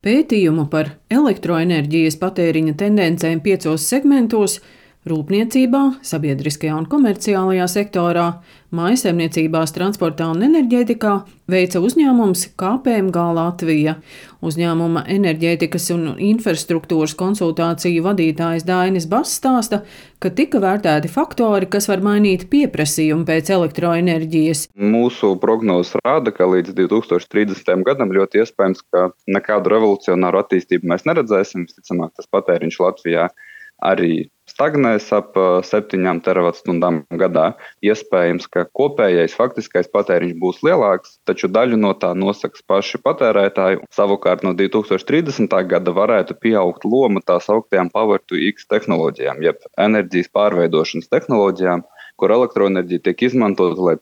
Pētījumu par elektroenerģijas patēriņa tendencēm 5 segmentos – rūpniecībā, sabiedriskajā un komerciālajā sektorā, mājsaimniecībās, transportā un enerģētikā – veica uzņēmums KPMG Latvija. Uzņēmuma enerģētikas un infrastruktūras konsultāciju vadītājs Dainis Bass stāsta, ka tika vērtēti faktori, kas var mainīt pieprasījumu pēc elektroenerģijas. Mūsu prognozes rāda, ka līdz 2030. gadam ļoti iespējams, ka nekādu revolucionāru attīstību mēs neredzēsim. Visticamāk, tas patēriņš Latvijā arī stagnēs ap 7 teravatu-stundām gadā. Iespējams, ka kopējais faktiskais patēriņš būs lielāks, taču daļu no tā nosaks paši patērētāji. Savukārt no 2030. gada varētu pieaugt loma tā sauktajām Power to X tehnoloģijām, jeb enerģijas pārveidošanas tehnoloģijām, kur elektroenerģija tiek izmantota, lai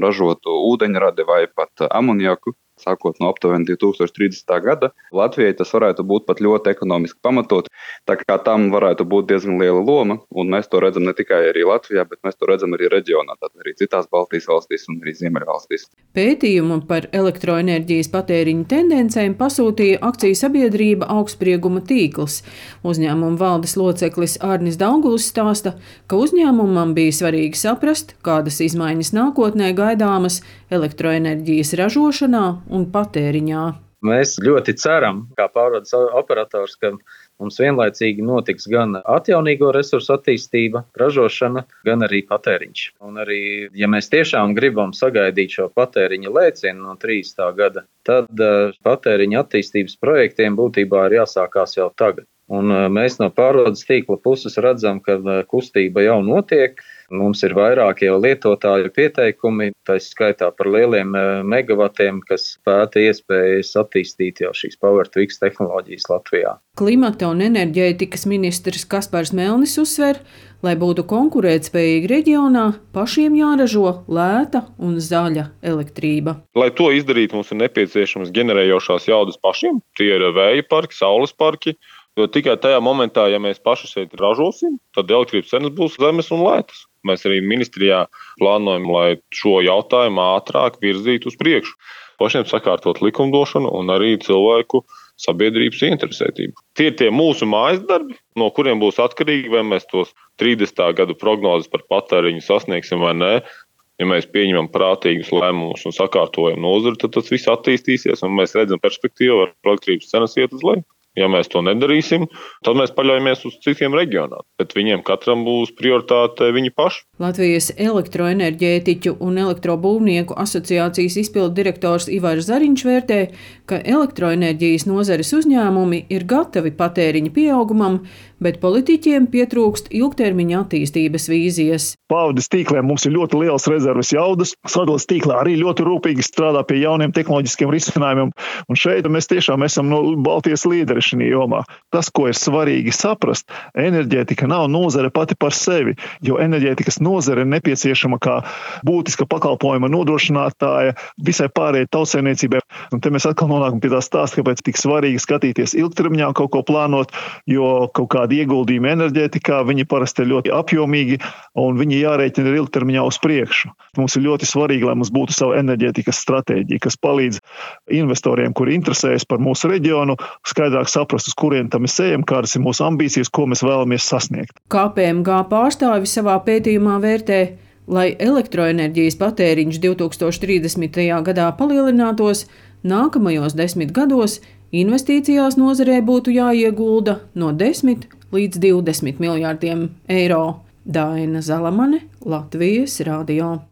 ražotu ūdeņradi vai pat amoniaku. Sākot no aptuveni 2030. gada, Latvijai tas varētu būt pat ļoti ekonomiski pamatot, tā kā tam varētu būt diezgan liela loma, un mēs to redzam ne tikai arī Latvijā, bet mēs to redzam arī reģionā, tātad arī citās Baltijas valstīs un arī Ziemeļvalstīs. Pētījumu par elektroenerģijas patēriņa tendencēm pasūtīja akciju sabiedrība Augstsprieguma tīkls. Uzņēmuma valdes loceklis Arnis Daugulis stāsta, ka uzņēmumam bija svarīgi saprast, kādas izmaiņas nākotnē gaidāmas elektroenerģijas ražošanā un patēriņā. Mēs ļoti ceram, kā pārvades operators, ka mums vienlaicīgi notiks gan atjaunīgo resursu attīstība, ražošana, gan arī patēriņš. Un arī, ja mēs tiešām gribam sagaidīt šo patēriņa lēcienu no 30. gada, tad patēriņa attīstības projektiem būtībā ir jāsākās jau tagad. Un mēs no pārvades tīkla puses redzam, ka kustība jau notiek. Mums ir vairāki jau lietotāju pieteikumi, tā skaitā par lieliem megavatiem, kas pēta iespējas attīstīt jau šīs Power to X tehnoloģijas Latvijā. Klimata un enerģētikas ministrs Kaspars Melnis uzsver, lai būtu konkurētspējīgi reģionā, pašiem jāražo lēta un zaļa elektrība. Lai to izdarītu, mums ir nepieciešams ģenerējošās jaudas pašiem. Tie ir vēja parki, saules parki. Jo tikai tajā momentā, ja mēs paši šeit ražosim, tad elektrības cenas būs zemes un lētas. Mēs arī ministrijā plānojam, lai šo jautājumu ātrāk virzītu uz priekšu. Pašiem sakārtot likumdošanu un arī cilvēku sabiedrības interesētību. Tie ir tie mūsu mājas darbi, no kuriem būs atkarīgi, vai mēs tos 30. gadu prognozes par patēriņu sasniegsim vai nē. Ja mēs pieņemam prātīgus lēmumus un sakārtojam nozari, tad tas viss attīstīsies un mēs redzam perspektīvu, ar elektrības cenas iet uz leju. Ja mēs to nedarīsim, tad mēs paļaujamies uz citiem reģioniem, bet viņiem katram būs prioritāte viņi paši. Latvijas elektroenerģētiķu un elektrobūvnieku asociācijas izpildu direktors Ivars Zariņš vērtē, ka elektroenerģijas nozares uzņēmumi ir gatavi patēriņa pieaugumam, bet politiķiem pietrūkst ilgtermiņa attīstības vīzijas. Pārvades tīkliem mums ir ļoti lielas rezerves jaudas. Sadales tīklā arī ļoti rūpīgi strādā pie jauniem tehnoloģiskiem risinājumiem. Un šeit mēs tiešām esam Baltijas līderi šajā jomā. Tas, ko ir svarīgi saprast, enerģētika nav nozare pati par sevi, jo enerģētikas nozare ir nepieciešama kā būtiska pakalpojuma nodrošinātāja visai pārējai tautsēmniecībai. Un te mēs atkal nonākam pie tā stāsta, kāpēc tik svarīgi skatīties ilgtermiņā kaut ko plānot, jo kaut kādi ieguldījumi enerģētikā, viņi parasti ir ļoti apjomīgi un viņi jārēķina ir ilgtermiņā uz priekšu. Mums ir ļoti svarīgi, lai mums būtu sava enerģētikas stratēģija, kas palīdz investoriem, kuri interesējas par mūsu reģionu, skaidrāk saprast, uz kurien tam mēs ejam, kādas ir mūsu ambīcijas, ko mēs vēlamies sasniegt. KPMG pārstāvi savā pētījumā vērtē, lai elektroenerģijas patēriņš 2030. gadā palielinātos, nākamajos 10 gados investīcijās nozarē būtu jāiegulda no 10 līdz 20 miljārdiem eiro. Daina Zalamane, Latvijas radio.